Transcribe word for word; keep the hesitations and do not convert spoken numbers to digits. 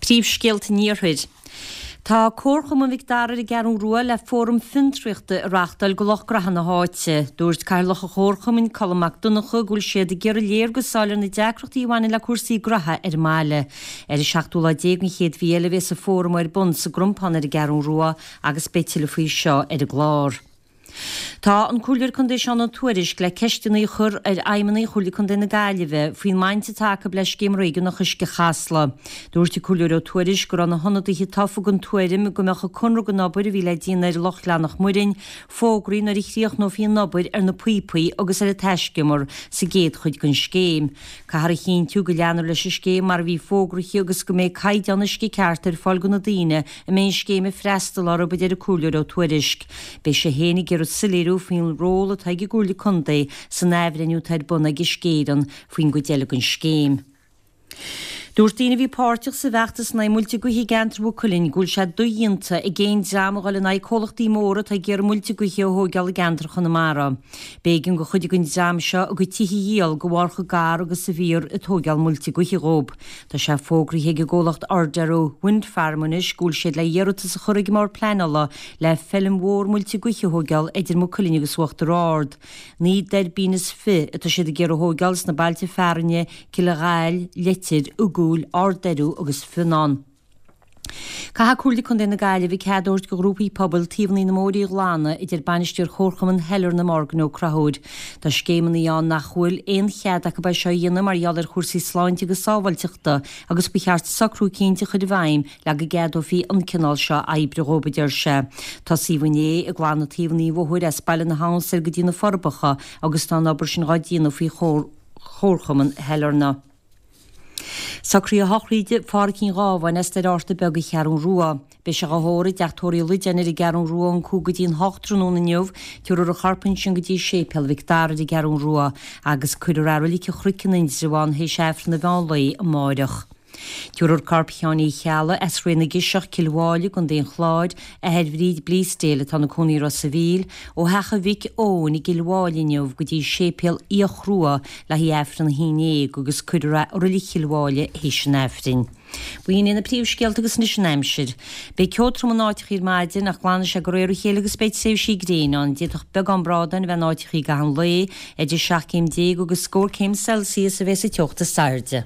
Príomhscéalta an Iarthair. Tá Comharchumann Mhic Dara ar an gCeathrú Rua le fóram fiontraíochta a reáchtáil do lucht graithe na háite. Dúirt Cathaoirleach an Chomharchumainn, Colm Mac Donncha, go bhfuil siad ag iarraidh léargas a fháil ar na deacrachtaí a bhaineann le cúrsaí graithe ar an mbaile. Ar an seachtú lá déag den chéad mhí eile a bheas an fóram ar bun sa gCrompán ar an gCeathrú Rua agus beidh tuilleadh faoi seo ar an gclár. Tá an Comhairleoir Contae Seán Ó Tuairisg le ceisteanna a chur ar fheidhmeannaigh Chomhairle Contae na Gaillimhe faoin mbaint atá acu le Scéim Réigiúnach Uisce Chasla. Dúirt an Comhairleoir Ó Tuairisg go raibh na hionadaithe tofa den tuairim go mbeadh an conradh don obair a bhí le déanamh ar Loch Ghleannach Muirinn fógraithe nuair a chríochnófaí an obair ar na píopaí agus ar an taiscumar sa gcéad chuid den scéim. Caithfear a chinntiú go leanfar leis an scéim mar a bhí fógraithe agus go mbeidh caighdeán uisce ceart ar fáil do na daoine a mbeidh an scéim ag freastal orthu, a deir an Comhairleoir Ó Tuairisg. Beidh sé féin ag iarraidh soiléiriú faoin ról atá ag an gComhairle Contae san athbhreithniú atá ar bun ag Uisce Éireann faoin gcuid eile den scéim. Dúirt daoine a bhí páirteach sa bhfeachtas in aghaidh muilte gaoithe i gceantar Mhaigh Cuilinn go bhfuil sé dodhéanta ag aon dream a dhul in aghaidh comhlachtaí móra atá ag iarraidh muilte gaoithe a thóigeáil i gceantar Chonamara. B'éigean do chuid den dream seo a gcuid tithe a dhíol de bharr chomh gar agus a bhíothar ag tóigeáil muilte gaoithe dhóibh. Tá sé fógraithe ag an gcomhlacht Ardarrow Wind Farm anois go bhfuil siad le hiarratas a chur ag an mBord Pleanála le feilm mhór muilte gaoithe a thóigeáil idir Maigh Cuilinn agus Uachtar Ard. Naoi dtuirbín is fiche atá siad ag iarraidh a thóigeáil sna bailte fearainne Cill an Ghaill, Leitir, An Gúil, Ard Doiriú agus Fionnán. Caithfidh Comhairle Contae na Gaillimhe cead a thabhairt do ghrúpaí pobail taobhanna na mbóithrí a ghlanadh, a deir bainisteoir Chomharchumann Shailearna Morgan Ó Conchúir. Tá scéimeanna ann nach bhfuil aon chead acu é seo a dhéanamh mar gheall ar chúrsaí sláinte agus sábháilteachta agus ba cheart socrú eicínt a chur i bhfeidhm le go gceadófaí an cineál seo oibre dhóibh, a deir sé. Tosaíodh inné ag glanadh taobhanna an bhóthair as Baile na hAbhann soir go dtí na Forbacha agus tá an obair sin dhá déanamh faoi Chomharchumann Shailearna. Socruithe sochraide Phádhraic Uí Ghábháin as Doire Fhátharta Beag an Cheathrú Rua. Beidh sé dhá thórramh i dteach tórraimh Uí Loideáin ar an gCeathrú Rua ón cúig go dtí an hocht tráthnóna inniu. Tabharfar a chorp ansin go dtí Séipéal Mhic Dara ar an gCeathrú Rua agus cuirfear é i Reilig an Chnoic in Indreabhán théis Aifreann an mheán lae amáireach. Tabharfar corp Sheáin Uí Cheallaigh as Sraith na gCiseach, Cill Mháille, i gContae an Chláir, athair Bhríd Bleasdale atá ina cónaí i Ros a' Mhíl, ó theach a mhic Eoin i gCill Mháille inniu go dtí Séipéal Fhiach Rua le haghaidh Aifreann a haon déag agus cuirfear é i Reilig Chill Mháille théis an Aifrinn. B'in iad na príomhscéalta agus anois an aimsir. Beidh ceo trom in áiteachaí ar maidin ach glanfaidh sé de réir a chéile agus beidh tréimhsí gréine ann. D'fhéadfadh beagán brádáin a bheith in áiteachaí i gcaitheamh an lae. Idir seacht gcéim déag agus scór céim Celsius a bheas an teocht is airde.